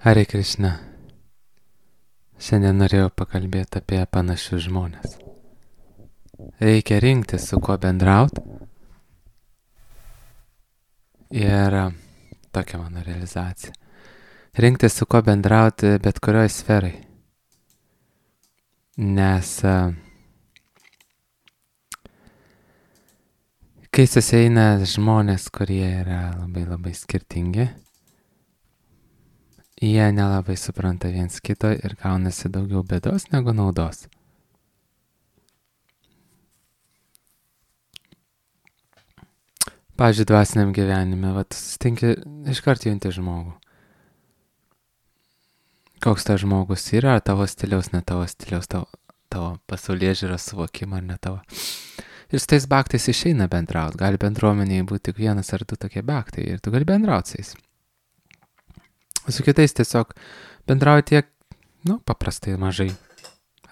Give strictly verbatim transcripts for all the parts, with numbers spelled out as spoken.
Hare Krishna. Šiandien norėjau pakalbėti apie panašius žmonės. Reikia rinktis, su kuo bendraut. Ir tokia mano realizacija. Rinktis, su kuo bendrauti bet kurioje sferai. Nes kai susieina žmonės, kurie yra labai labai skirtingi, jie nelabai supranta viens kito ir gaunasi daugiau bėdos negu naudos. Pavyzdžiui, dvasiniam gyvenime, va, tu susitinki, iškart junti žmogų. Koks tas žmogus yra, ar tavo stiliaus, ne tavo stiliaus, tavo, tavo pasaulėžiūros suvokimą, ar ne tavo. Ir su tais baktais išeina bendrauti. Gali bendruomenėje būti tik vienas ar du tokie baktai ir tu gali bendrauti su jais. Su kitais tiesiog bendrauji tiek, nu, paprastai mažai.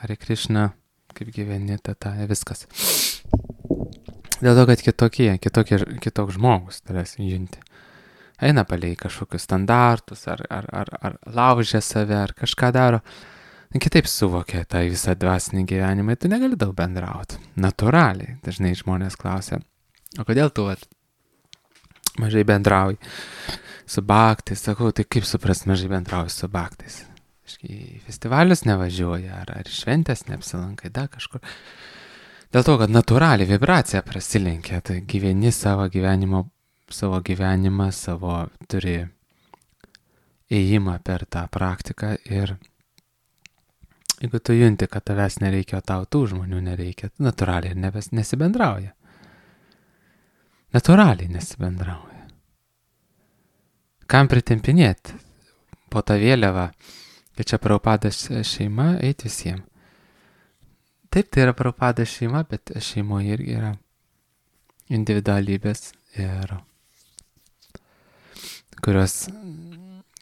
Hare Krishna, kaip gyveni, tata, viskas. Dėl to, kad kitokie, kitokie, kitoks žmogus tavęs junti. Eina palei kažkokius standartus, ar, ar, ar, ar laužia save, ar kažką daro. Kitaip suvokia tą visą dvasinį gyvenimą, tu negali daug bendrauti. Natūraliai. Dažnai žmonės klausia, o kodėl tu vat, mažai bendrauji su baktais? Sakau, tai kaip supras mažai bendrauji su baktais? Į festivalius nevažiuoja, ar, ar šventės neapsilankai, da kažkur. Dėl to, kad natūraliai vibracija prasilenkia, tai gyveni savo gyvenimo, savo gyvenimą, savo turi ėjimą per tą praktiką ir jeigu tu junti, kad tavęs nereikia, o tau tų žmonių nereikia, natūraliai nebes, nesibendrauja. Natūraliai nesibendrauja. Kam pritempinėti po tą vėliavą, kad čia Prabhupados šeima, eiti visiems. Taip, tai yra Prabhupados šeima, bet šeimoje irgi yra individualybės, ir kurios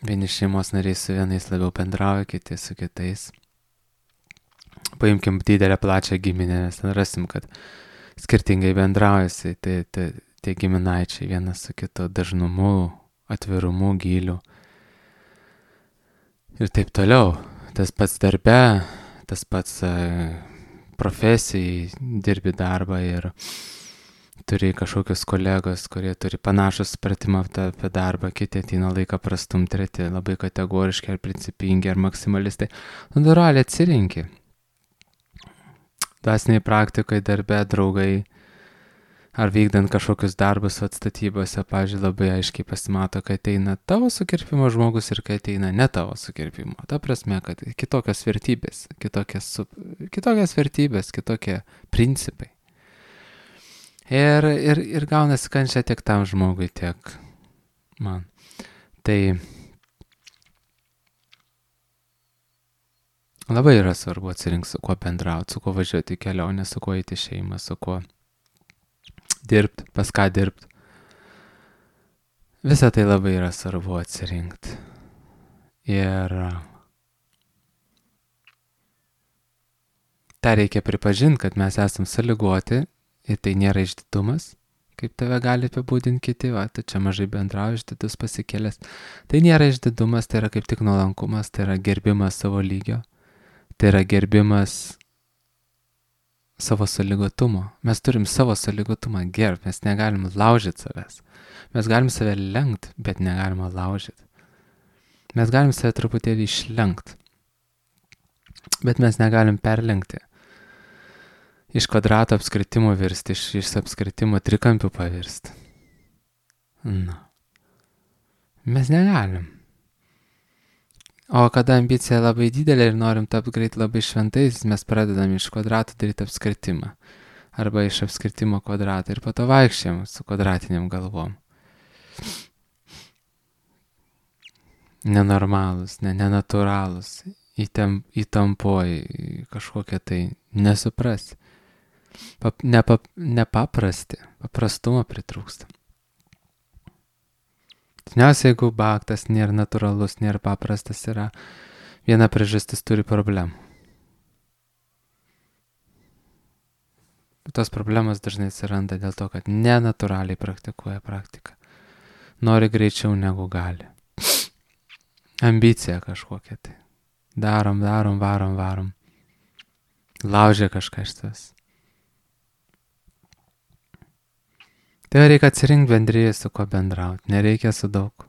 vieni šeimos nariai su vienais labiau bendrauja, kiti su kitais. Paimkim didelę plačią giminę, nes ten rasim, kad skirtingai bendraujasi, tai, tai, tai giminaičiai vienas su kitu dažnumu, atvirumu, gyliu. Ir taip toliau. Tas pats darbe, tas pats uh, profesijai, dirbi darbą ir turi kažkokius kolegos, kurie turi panašų supratimą apie darbą, kiti ateina laiką prastum, treti labai kategoriški ar principingi ar maksimalistai. Natūraliai atsirinki. Dvasiniai praktikai, darbe, draugai, ar vykdant kažkokius darbus atstatybose, pavyzdžiui, labai aiškiai pasimato, kad ateina tavo sukirpimo žmogus ir kad ateina ne tavo sukirpimo. Ta prasme, kad kitokios vertybės, kitokios, kitokios vertybės, kitokie principai. Ir, ir, ir gaunasi kančia tiek tam žmogui, tiek man. Tai labai yra svarbu atsirinkti, su kuo bendrauti, su kuo važiuoti į kelionę, su kuo eiti į šeimą, su kuo dirbti, pas ką dirbti. Visą tai labai yra svarbu atsirinkti. Ir tą reikia pripažinti, kad mes esam sąlygoti ir tai nėra išdidumas, kaip tave gali apibūdinti kiti, va, tu čia mažai bendrauji, išdidus pasikėlęs. Tai nėra išdidumas, tai yra kaip tik nuolankumas, tai yra gerbimas savo lygio. Tai yra gerbimas savo sąlygotumo. Mes turim savo sąlygotumą gerbti, mes negalim laužyti savęs. Mes galim save lenkt, bet negalim laužyti. Mes galim save truputėlį išlenkt, bet mes negalim perlenkti. Iš kvadrato apskritimo virsti, iš, iš apskritimo trikampių pavirsti. Na. Mes negalim. O kada ambicija labai didelė ir norim tapti greit labai šventais, mes pradedam iš kvadratų daryti apskritimą. Arba iš apskritimo kvadratą ir po to vaikščiam su kvadratiniam galvom. Nenormalus, ne, nenatūralus, įtem, įtampoji, kažkokie tai nesuprasi. Pap, nepap, nepaprasti, paprastumo pritrūksta. Dažniausiai, jeigu baktas nėra natūralus, nėra paprastas, yra viena priežastis turi problemų. Tos problemos dažnai atsiranda dėl to, kad nenatūraliai praktikuoja praktiką. Nori greičiau negu gali. ambicija kažkokia tai. Darom, darom, varom, varom. Laužia kažką iš tas. Tai reikia atsirinkti bendryje, su ko bendrauti. Nereikia su daug.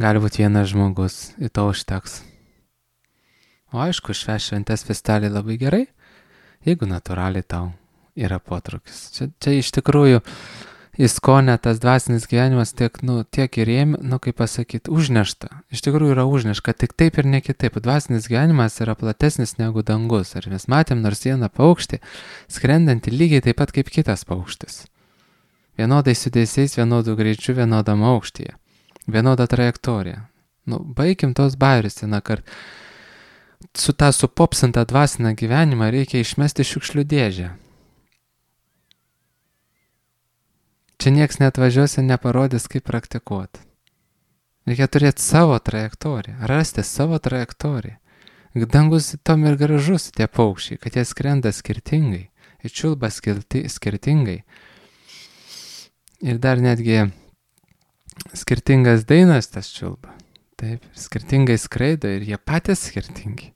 Gali būti vienas žmogus, į to užteks. O aišku, švęs šventės festelį labai gerai, jeigu natūraliai tau yra potraukis. Čia, čia iš tikrųjų įskonė tas dvasinis gyvenimas tiek, nu, tiek ir jiem, nu, kaip pasakyti, užnešta. Iš tikrųjų yra užnešta, tik taip ir ne kitaip. Dvasinis gyvenimas yra platesnis negu dangus. Ar mes matėm nors vieną paukštį, skrendantį lygiai taip pat kaip kitas paukštis. Vienodai sudėsiais, vienodų greičių, vienodam aukštyje. Vienoda trajektorija. Nu, baigim tos bairius, na, kad su tą supopsintą dvasinę gyvenimą reikia išmesti šiukšlių dėžę. Čia nieks neatvažiuos ir neparodys, kaip praktikuoti. Reikia turėti savo trajektoriją, rasti savo trajektoriją. Dangus tom ir gražus tie paukščiai, kad jie skrenda skirtingai, ir čiulba skirti, skirtingai. Ir dar netgi skirtingas dainas tas čiulba. Taip, skirtingai skraido ir jie patys skirtingi.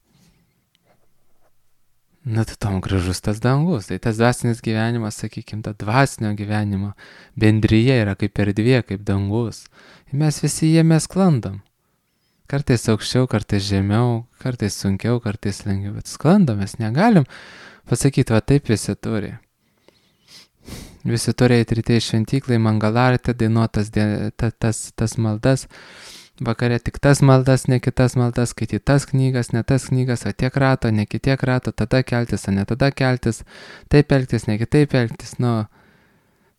Na, tai tom gražus tas dangus. Tai tas dvasinis gyvenimas, sakykime, ta dvasinio gyvenimo bendryje yra kaip erdvė, kaip dangus. Ir mes visi jame sklandam. Kartais aukščiau, kartais žemiau, kartais sunkiau, kartais lengviau. Bet sklandam, mes negalim pasakyti, va taip visi turi. Visi turi eiti ryte į šventyklą, į mangalartę, dainuotas tas, tas, tas maldas. Vakare tik tas maldas, ne kitas maldas, skaityti tas knygas, ne tas knygas, o tiek rato, ne kitiek rato, tada keltis, o ne tada keltis, taip elgtis, ne kitaip elgtis, nu,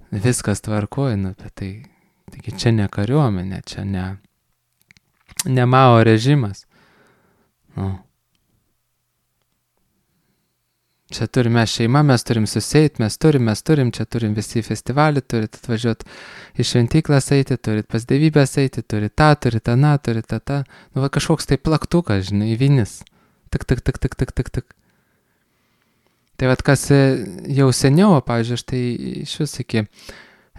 viskas tvarkoja, nu, bet tai, taigi čia ne kariuomenė, čia ne, ne Mao režimas, nu. Čia turime šeimą, mes turim suseit, mes turim, mes turim, čia turim visi festivalį, turit atvažiuoti į šventyklas eiti, turit pas dievybės eiti, turit tą, turit aną, turit tą, tą. Nu, va kažkoks tai plaktukas, žinai, vinis. Tik, tik, tik, tik, tik, tik, tik. Tai vat kas jau seniau, pavyzdžiui, aš tai iš vis iki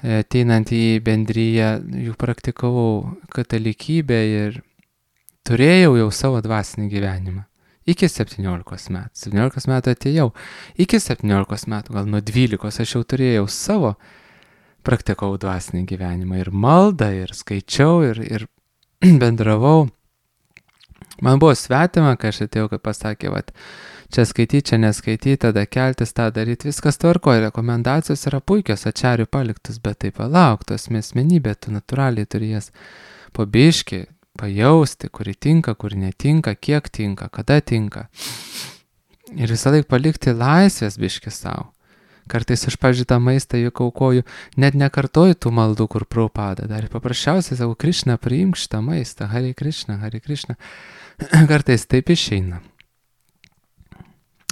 ateinant į bendryją, jau praktikavau katalikybę ir turėjau jau savo dvasinį gyvenimą. Iki septyniolikos metų. septyniolikos metų atėjau. Iki septyniolikos metų, gal nuo dvylikos, aš jau turėjau savo, praktikavau dvasinį gyvenimą. Ir maldą, ir skaičiau, ir, ir bendravau. Man buvo svetima, kai aš atėjau, kai pasakė, vat, čia skaityti, čia neskaityti, tada keltis, tą daryti, viskas tvarkoja. Rekomendacijos yra puikios, ačiarių paliktus, bet tai palauk, tos asmenybė, tu natūraliai turi jas po biškį pajausti, kuri tinka, kuri netinka, kiek tinka, kada tinka. Ir visą laiką palikti laisvės biškį savo. Kartais aš, pavyzdžiui, tą maistą juk aukoju, net nekartoju tų maldų, kur Prabhupada dar. Paprasčiausiai savo Krišna, priimk šitą maistą, Hare Krišna, Hare Krišna. Kartais taip išeina.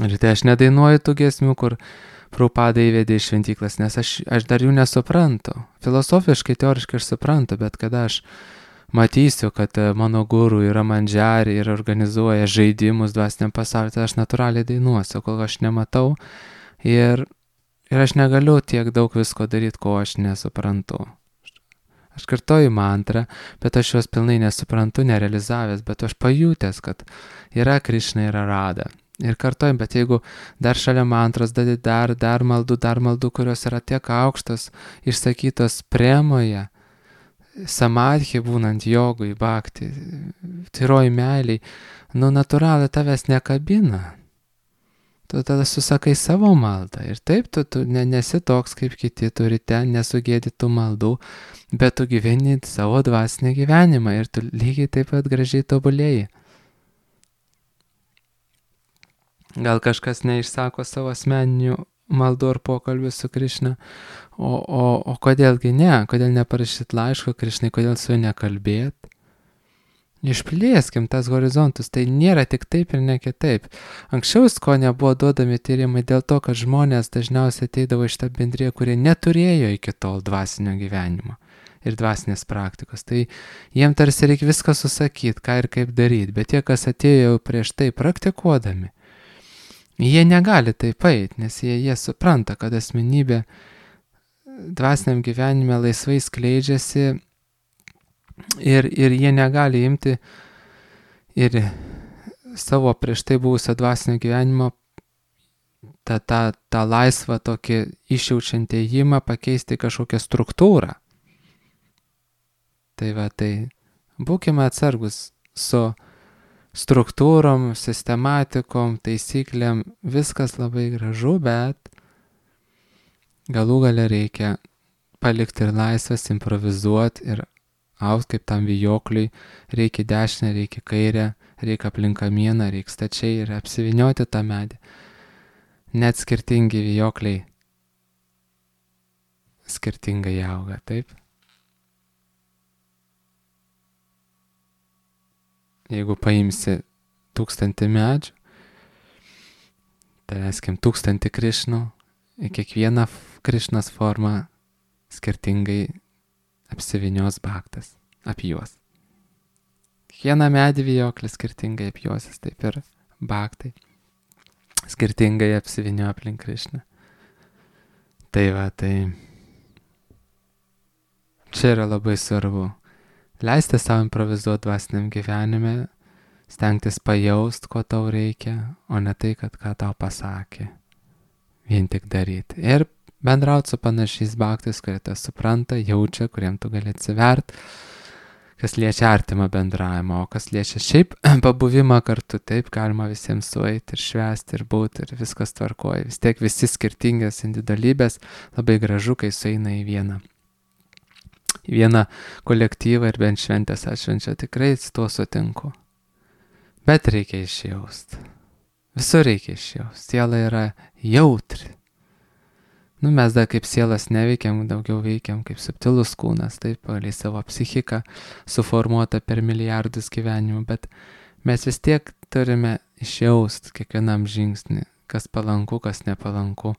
Ir tai aš nedainuoju tų giesmių, kur Prabhupada įvedė į šventyklas, nes aš, aš dar jų nesuprantu. Filosofiškai, teoriškai aš suprantu, bet kada aš matysiu, kad mano guru yra mandžiari ir organizuoja žaidimus dvasiniam pasauliu, tai aš natūraliai dainuosiu, kol aš nematau ir, ir aš negaliu tiek daug visko daryti, ko aš nesuprantu. Aš kartoju mantrą, bet aš juos pilnai nesuprantu, nerealizavęs, bet aš pajutęs, kad yra Krišna, yra Rada. Ir kartojim, bet jeigu dar šalia mantros dadi dar, dar maldų, dar maldų, kurios yra tiek aukštos, išsakytos premoje, samadhi būnant jogui, bhakti, tyroj meiliai, nu natūraliai tavęs nekabina. Tu tada susakai savo maldą ir taip tu, tu ne, nesi toks kaip kiti, turi ten nesugėdytų maldų, bet tu gyveni savo dvasinį gyvenimą ir tu lygiai taip pat gražiai tobulėjai. Gal kažkas neišsako savo asmeninių maldų ar pokalbių su Krišna, o, o, o kodėlgi ne, kodėl neparašyt laiško Krišnai, kodėl su juo nekalbėt. Išplėskim tas horizontus, tai nėra tik taip ir ne kitaip. Anksčiau ko nebuvo duodami tyrimai dėl to, kad žmonės dažniausiai ateidavo iš tą bendriją, kurie neturėjo iki tol dvasinio gyvenimo ir dvasinės praktikos. Tai jiem tarsi reikia viską susakyti, ką ir kaip daryti, bet tie, kas atėjo prieš tai praktikuodami, jie negali taip eit, nes jie, jie supranta, kad asmenybė dvasiniam gyvenime laisvai skleidžiasi Ir, ir jie negali imti ir savo prieš tai buvusio dvasinio gyvenimo tą, tą, tą laisvą tokį išjaučiantį ėjimą pakeisti kažkokią struktūrą. Tai va, tai būkime atsargus su struktūrom, sistematikom, taisyklėm, viskas labai gražu, bet galų gale reikia palikti ir laisvės, improvizuoti ir aut kaip tam vijokliui, reikia dešinę, reikia kairę, reikia aplink kamieną, reikia stačiai ir apsivinioti tą medį. Net skirtingi vijokliai skirtingai auga, taip? Jeigu paimsi tūkstantį medžių, tai eskim tūkstantį Krišnų, į kiekvieną Krišnos formą skirtingai apsivinios baktas, apjuos. Kiekvieną medį vijoklis skirtingai apjuosis, taip ir baktai skirtingai apsivinio aplink Krišną. Tai va, tai čia yra labai svarbu. Leisti savo improvizuoti dvasiniam gyvenime, stengtis pajaust, ko tau reikia, o ne tai, kad ką tau pasakė. Vien tik daryti. Ir bendrauti su panašiais baktais, kurie tą supranta, jaučia, kuriem tu gali atsivert, kas liečia artimą bendravimą, o kas liečia šiaip pabuvimą kartu, taip galima visiems sueiti ir švęsti ir būti ir viskas tvarkoja. Vis tiek visi skirtingas individualybės, labai gražu, kai sueina į vieną. Į vieną kolektyvą ir bent šventės atšvenčia, tikrai su tuo sutinku. Bet reikia išjaust. Visur reikia išjaust. Siela yra jautri. Nu, mes dar kaip sielas neveikiam, daugiau veikiam kaip subtilus kūnas, taip, pagal savo psichiką suformuota per milijardus gyvenimų, bet mes vis tiek turime išjaust kiekvienam žingsnį, kas palanku, kas nepalanku,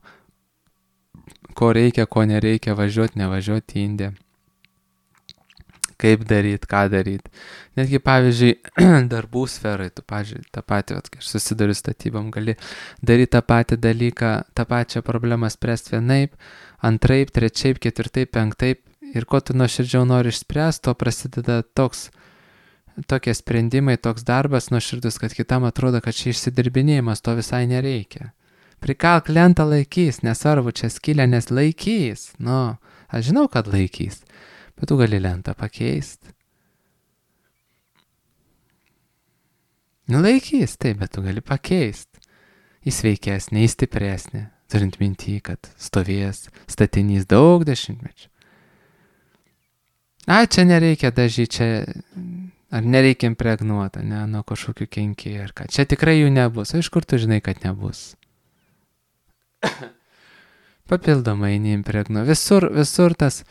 ko reikia, ko nereikia, važiuoti, nevažiuoti į Indiją. Kaip daryti, ką daryti. Netgi, pavyzdžiui, darbų sferai, tu, pavyzdžiui, tą patį, vat, kai aš susiduriu statybom, gali daryti tą patį dalyką, tą pačią problemą spręsti vienaip, antraip, trečiaip, ketvirtaip, penktaip, ir ko tu nuoširdžiau nori išspręsti, to prasideda toks, tokie sprendimai, toks darbas nuoširdus, kad kitam atrodo, kad čia išsidirbinėjimas, to visai nereikia. Prikalk lentą laikys, nesvarbu, čia skylė, nes laikys. Nu, aš žinau, kad laikys. Bet tu gali lentą pakeisti. Nu, laikys, taip, bet tu gali pakeisti. Į sveikesnį, į stipresnį, turint mintį, kad stovės statinys daug dešimtmečių. A, čia nereikia dažyti, čia, ar nereikia impregnuoti, ne, nuo kažkokių kenkėjų, ar ką. Čia tikrai jų nebus, o iš kur tu žinai, kad nebus? Papildomai neimpregnu. Visur, visur tas...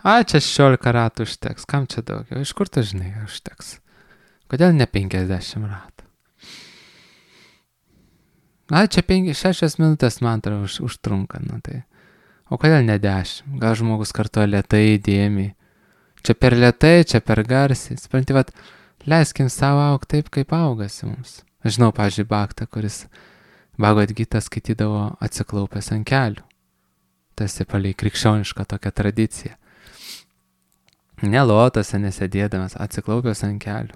A, čia šešiolika ratų užteks, kam čia daugiau, iš kur tu žinai, užteks. Kodėl ne penkiasdešimt ratų? A, čia penki, šešios minutės man tai už, užtrunka, nu tai. O kodėl ne dešimt? Gal žmogus kartuoja lėtai, įdėmiai. Čia per lėtai, čia per garsiai. Supranti, vat, leiskim savo augti taip, kaip augasi mums. Aš žinau, pavyzdžiui, baktą, kuris Bhagavad Gitą skaitydavo atsiklaupęs ant kelių. Tas ir palei krikščionišką tokią tradiciją. Ne lotose nesėdėdamas, atsiklaupęs ant kelių.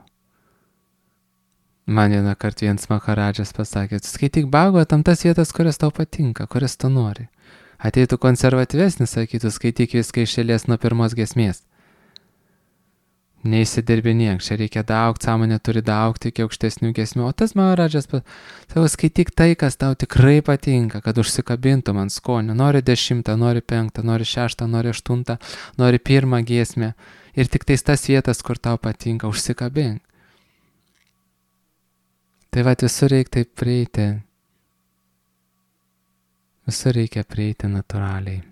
Man vieną kartą vienas Maharadžas pasakė, skaityk Bhagavatam tas vietas, kurias tau patinka, kurias tu nori. Ateitų konservatyvesnis, sakytų, skaityk viską iš eilės nuo pirmos giesmės. Neįsidirbinėk, čia reikia daugti, sąmonė turi daugti iki aukštesnių giesmių. O tas Maharadžas savo skaityk tai, kas tau tikrai patinka, kad užsikabintum ant skonio. Nori dešimtą, nori penktą, nori šeštą, nori aštuntą, nori pirmą giesmę. Ir tik tais tas vietas, kur tau patinka, užsikabink. Tai va, visur reikia taip prieiti. Visur reikia prieiti natūraliai.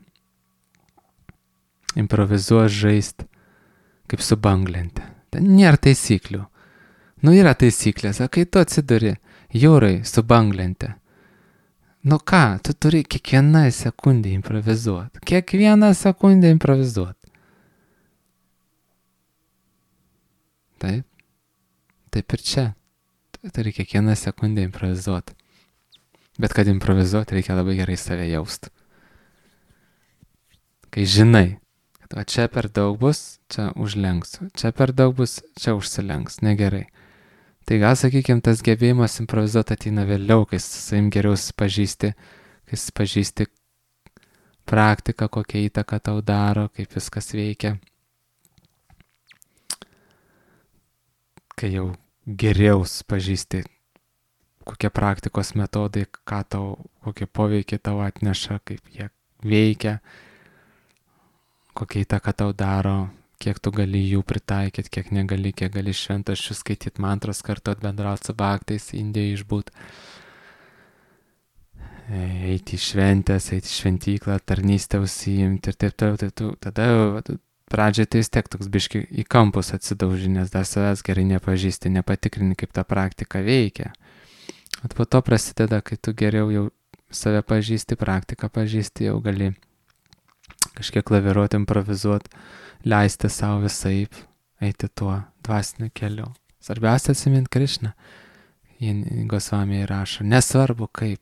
Improvizuos žaisti. Kaip su banglente. Ten nėra taisyklių. Nu, yra taisyklės, o kai tu atsiduri jūrai su banglente, nu ką, tu turi kiekvieną sekundę improvizuoti. Kiekvieną sekundę improvizuoti. Taip. Taip ir čia. Tu turi kiekvieną sekundę improvizuoti. Bet kad improvizuoti, reikia labai gerai save jausti. Kai žinai, O čia per daug bus, čia užlenksiu. Čia per daug bus, čia užsilenks. Negerai. Tai gal, sakykime, tas gebėjimas improvizuoti ateina vėliau, kai su savim geriau pažįsti, kai pažįsti praktiką, kokią įtaką tau daro, kaip viskas veikia. Kai jau geriau pažįsti, kokie praktikos metodai, ką tau, kokie poveikiai tau atneša, kaip jie veikia, kokia įtaka tau daro, kiek tu gali jų pritaikyti, kiek negali, kiek gali šventaščių skaityti mantras, kartu atbendrauti su bhaktais, Indijoje išbūt, eiti į šventės, eiti į šventyklą, tarnystę užsiimti ir taip toliau. Tai tu, tada pradžioje tai vis tiek toks biški į kampus atsidauži, nes dar savęs gerai nepažįsti, nepatikrini, kaip ta praktika veikia. O po to prasideda, kai tu geriau jau save pažįsti, praktiką pažįsti, jau gali kažkiek laviruoti, improvizuoti, leisti savo visaip, eiti tuo dvasiniu keliu. Svarbiausia atsiminti Krišną. Gosvamiai rašo, nesvarbu kaip,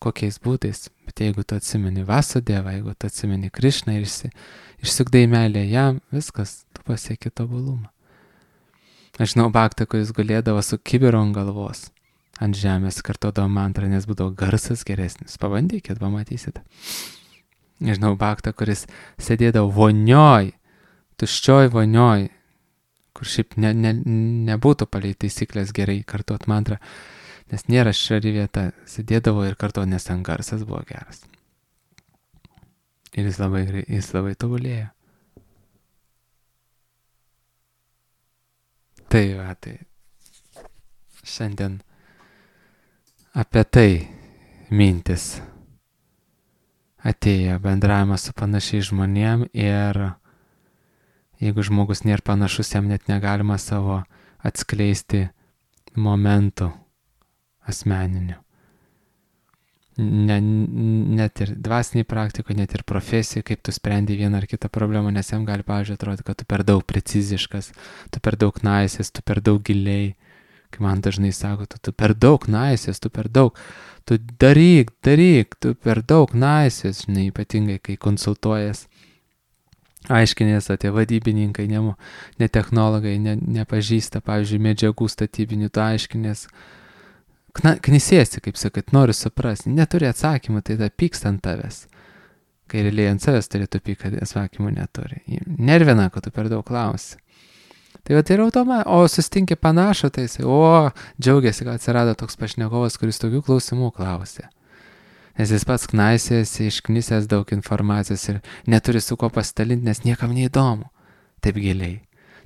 kokiais būdais, bet jeigu tu atsimeni Vasudevą, jeigu tu atsimeni Krišną ir išsi, išsukdai meilę jam, viskas, tu pasieki tobulumą. Aš žinau baktą, kuris gulėdavo su kibiru ant galvos, ant žemės, kartodavo mantrą, nes būdavo garsas geresnis. Pabandykit, pamatysite. Nežinau, baktą, kuris sėdėdavo vonioj, tuščioj vonioj, kur šiaip ne, ne, nebūtų palei taisyklės gerai kartuot mantrą, nes nėra švari vieta, sėdėdavo ir kartuot, nes ten garsas buvo geras. Ir jis labai, jis labai tobulėjo. Tai va, tai šiandien apie tai mintis atėjo, bendravimas su panašiais žmonėm, ir jeigu žmogus nėra panašus, jam net negalima savo atskleisti momentų asmeninių. Ne, net ir dvasiniai praktikoje, net ir profesijai, kaip tu sprendi vieną ar kitą problemą, nes jam gali, pavyzdžiui, atrodyti, kad tu per daug preciziškas, tu per daug naisės, tu per daug giliai. Kai man dažnai sako, tu, tu per daug naisės, tu per daug, tu daryk, daryk, tu per daug naisės, žinai, ypatingai kai konsultuojas, aiškinės, o tie vadybininkai, ne, ne technologai, ne, nepažįsta, pavyzdžiui, medžiagų statybinių, tu aiškinės, knisėsi, kaip sakyt, nori suprasti, neturi atsakymų, tai ta pyksta ant tavęs, kai realiai ant savęs turėtų pykti, kad atsakymų neturi. Nervina, kad tu per daug klausi. Tai va, tai yra automa, o sustinki panašų, tai jisai, o, džiaugiasi, kad atsirado toks pašnekovas, kuris tokių klausimų klausė. Nes jis pats knaisėsi, išknisęs daug informacijos ir neturi su ko pasidalinti, nes niekam neįdomu, taip giliai.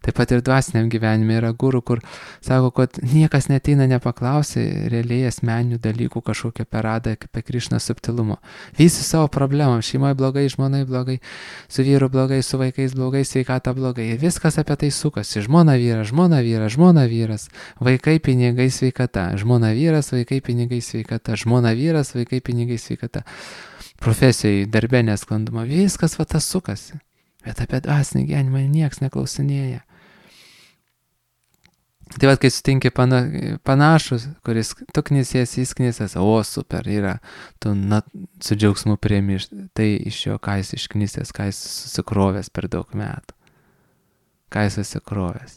Taip pat ir dvasiniam gyvenime yra gurų, kur sako, kad niekas neteina nepaklausė realiai asmeninių dalykų kažkokią peradą apie Krišną subtilumo. Visi savo problemom, šeimoje blogai, žmonai blogai, su vyru blogai, su vaikais blogai, sveikata blogai. Ir viskas apie tai sukasi. Žmona vyras, žmona vyras, žmona vyras, vaikai, pinigai, sveikata. Žmona vyras, vaikai, pinigai, sveikata. Žmona vyras, vaikai, pinigai, sveikata. Profesijai, darbė nesklanduma. Viskas va tas sukasi. Bet apie dvasinį gyvenimą nieks neklausinėja. Tai vad, kai sutinki pana, panašus, kuris tu knisiesi, jis knisės, o super, yra, tu na, su džiaugsmu priemi tai iš jo, ką jis išknisės, ką jis susikrovęs per daug metų, ką jis susikrovęs.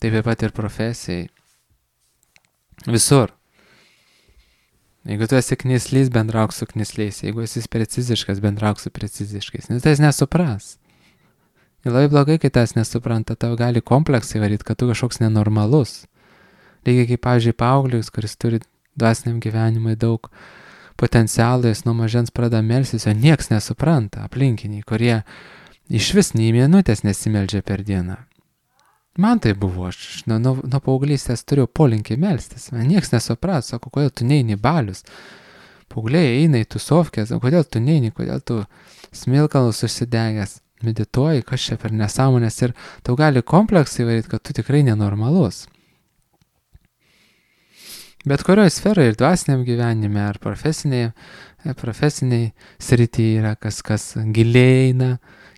Taip pat ir profesijai. Visur. Jeigu tu esi knislys, bendrauk su knisliais, jeigu esi preciziškas, bendrauk su preciziškais, nes tai jis nesupras. Ir labai blogai, kai tas nesupranta, tau gali kompleksai varyti, kad tu kažkoks nenormalus. Lygiai kaip, pavyzdžiui, paauglius, kuris turi dvasiniam gyvenimui daug potencialų, jis nuo mažens pradeda melstis, o nieks nesupranta, aplinkiniai, kurie iš vis nei minutės nesimeldžia per dieną. Man tai buvo, aš nuo, nuo, nuo paauglystės turėjau polinkį melstis, man nieks nesuprat, sako, kodėl tu neini balius. Paaugliai eina į tusovkės, kodėl tu neini, kodėl tu smilkalus užsidegęs. Medituoji, kas čia per nesąmonės, ir tau gali kompleksai varyti, kad tu tikrai nenormalus. Bet kurioje sferoje, ir dvasiniam gyvenime, ar profesiniai, profesiniai srityje yra kas, kas giliai eina,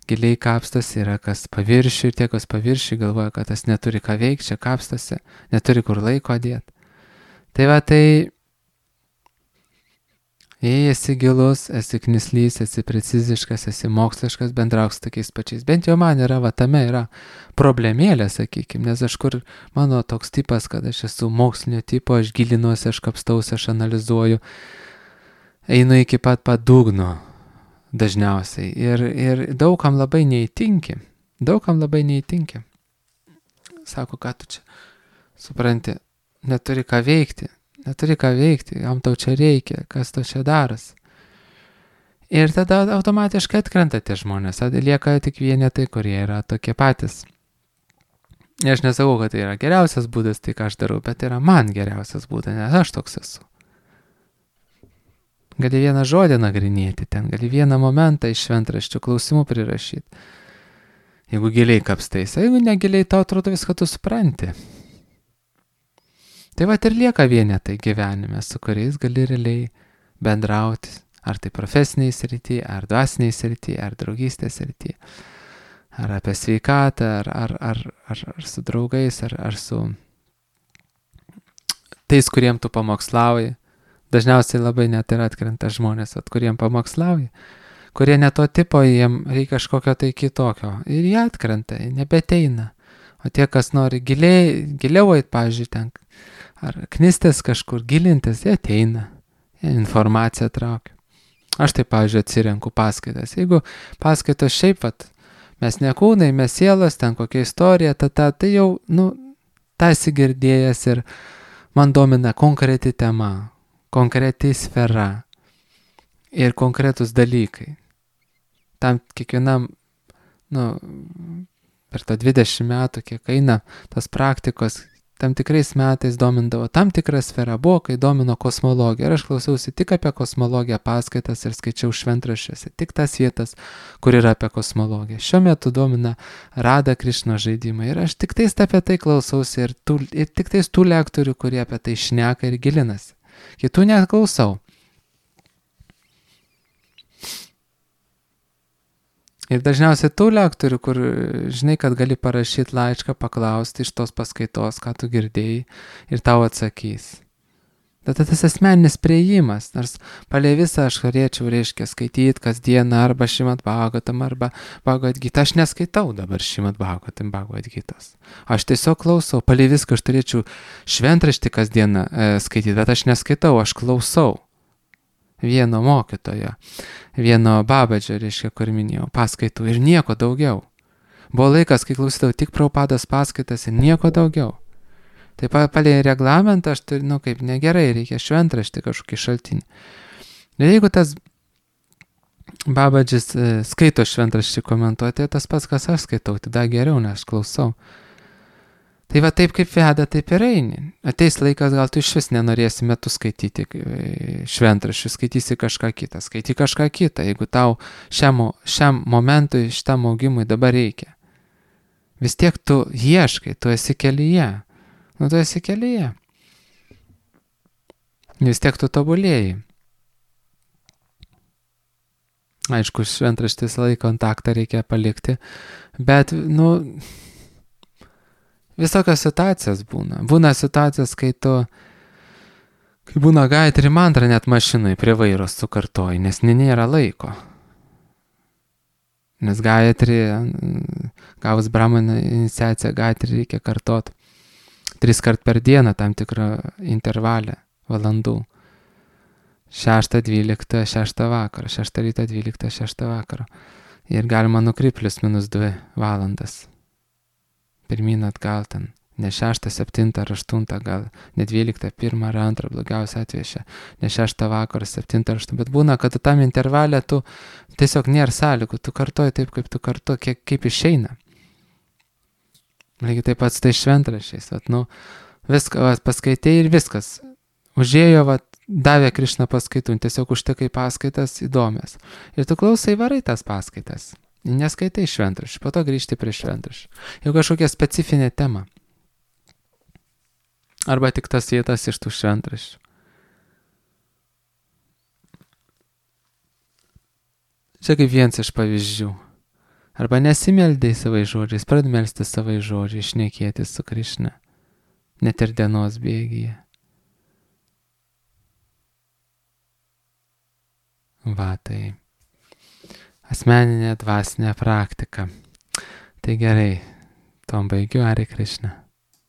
giliai kapstas, yra kas paviršių, ir tie, kas paviršių galvoja, kad tas neturi ką veikti, čia kapstasi, neturi kur laiko dėti. Tai va, tai Jei esi gilus, esi knislys, esi preciziškas, esi moksliškas, bendrauk su tokiais pačiais. Bent jau man yra, va tame yra problemėlė, sakykime, nes aš kur mano toks tipas, kad aš esu mokslinio tipo, aš gilinuosi, aš kapstausi, aš analizuoju, einu iki pat padugno dažniausiai. Ir, ir daugam labai neįtinki, daugam labai neįtinki. Sako, ką tu čia, supranti, neturi ką veikti. Neturi ką veikti, jam tau čia reikia, kas tau čia daras. Ir tada automatiškai atkrenta tie žmonės, lieka tik vienetai, kurie yra tokie patys. Ir aš nesakau, kad tai yra geriausias būdas, tai ką aš darau, bet tai yra man geriausias būdas, nes aš toks esu. Gali vieną žodį nagrinėti ten, gali vieną momentą iš šventraščių klausimų prirašyti. Jeigu giliai kapstais, jeigu negiliai, tau atrodo viską tu supranti. Tai va ir lieka vienetai gyvenime, su kuriais gali realiai bendrauti, ar tai profesiniai srityje, ar dvasiniai srityje, ar draugystės srityje, ar apie sveikatą, ar, ar, ar, ar, ar su draugais, ar, ar su tais, kuriem tu pamokslauji. Dažniausiai labai net ir atkrenta žmonės, at kuriem pamokslauji, kurie ne to tipo, jiem reikia kažkokio tai kitokio. Ir jie atkrenta, nebeteina. O tie, kas nori giliai, giliau eit, pavyzdžiui, ten, ar knistės kažkur gilintis, jie ateina, jie informaciją traukia. Aš tai, pavyzdžiui, atsirenku paskaitas. Jeigu paskaitos šiaip, vat, mes ne kūnai, mes sielos, ten kokia istorija, ta, ta, tai jau, nu, tą esi girdėjęs ir man domina konkreti tema, konkreti sfera ir konkretus dalykai. Tam kiekvienam, nu, per tą dvidešimt metų, kiek eina tos praktikos, tam tikrais metais domindavo tam tikrą sferą, buvo, kai domino kosmologiją. Ir aš klausiausi tik apie kosmologiją paskaitas ir skaičiau šventraščiuose, tik tas vietas, kur yra apie kosmologiją. Šiuo metu domina Rada Krišna žaidimai. Ir aš tik tais apie tai klausausi ir, tų, ir tik tais tų lektorių, kurie apie tai šneka ir gilinasi. Kitų neklausau. Ir dažniausiai tų lektorių, kur žinai, kad gali parašyti laišką, paklausti iš tos paskaitos, ką tu girdėjai, ir tau atsakys. Tada tas asmeninis priėjimas, nors palei visą aš norėčiau, reiškia, skaityti kasdieną arba Šrimad Bhagavatam, arba Bhagavad Gita. Aš neskaitau dabar Šrimad Bhagavatam, Bhagavad Gitos. Aš tiesiog klausau, palei viską aš turėčiau šventraštį kasdieną e, skaityti, bet aš neskaitau, aš klausau. Vieno mokytojo, vieno babadžio, reiškia, kur minėjau, paskaitų ir nieko daugiau. Buvo laikas, kai klausydavau tik Prabhupados paskaitas ir nieko daugiau. Taip pat palei reglamentą aš turiu, nu kaip negerai, reikia šventraštį kažkokį šaltinį. Ir jeigu tas babadžis e, skaito šventraštį komentuoti, tas pats, kas aš skaitau, tada geriau, nes aš klausau. Tai va taip kaip veda, taip ir eini. Ateis laikas, gal tu iš vis nenorėsi metų skaityti šventraščių, skaitysi kažką kitą, skaity kažką kitą, jeigu tau šiam, šiam momentui, šitam augimui dabar reikia. Vis tiek tu ieškai, tu esi kelyje. Nu, tu esi kelyje. Vis tiek tu tobulėjai. Aišku, šventraštis laiko kontaktą reikia palikti, bet, nu... Visokios situacijos būna. Būna situacijos, kai tu, kai būna Gayatri mantra net mašinai prie vairo sukartoji, nes nėra laiko. Nes Gayatri, gavus Brahmana iniciaciją, Gayatri reikia kartot tris kart per dieną tam tikrą intervalę valandų. Šeštą, dvyliktą, šeštą vakarą, šeštą rytą, dvyliktą, šeštą vakarą. Ir galima nukrypti plius minus dvi valandas. Pirmyn atgal ten, ne šeštą, septintą ar aštuntą, gal ne dvyliktą, pirmą ar antrą, blogiausia atveju, ne šeštą vakarą, septintą ar aštuntą, bet būna, kad tam intervalė tu tiesiog nėra sąlygų, tu kartoji taip, kaip tu kartoji, kiek, kaip išeina. Lygiai taip pat su tai šventraščiais, vat, nu, viską vat, paskaitė ir viskas. Užėjo, vat, davė Krišna paskaitų, tiesiog užtekai paskaitas įdomias. Ir tu klausai, varai tas paskaitas. Neskaitai šventraščių, po to grįžti prie šventraščių. Jau kažkokia specifinė tema. Arba tik tas vietas iš tų šventraščių. Čia kaip vienas iš pavyzdžių. Arba nesimeldai savai žodžiais, pradedi melsti savai žodžiais, šnekėti su Krišna. Net ir dienos bėgyje. Va, tai asmeninė dvasinė praktika. Tai gerai, tom baigiu, Hare Krishna.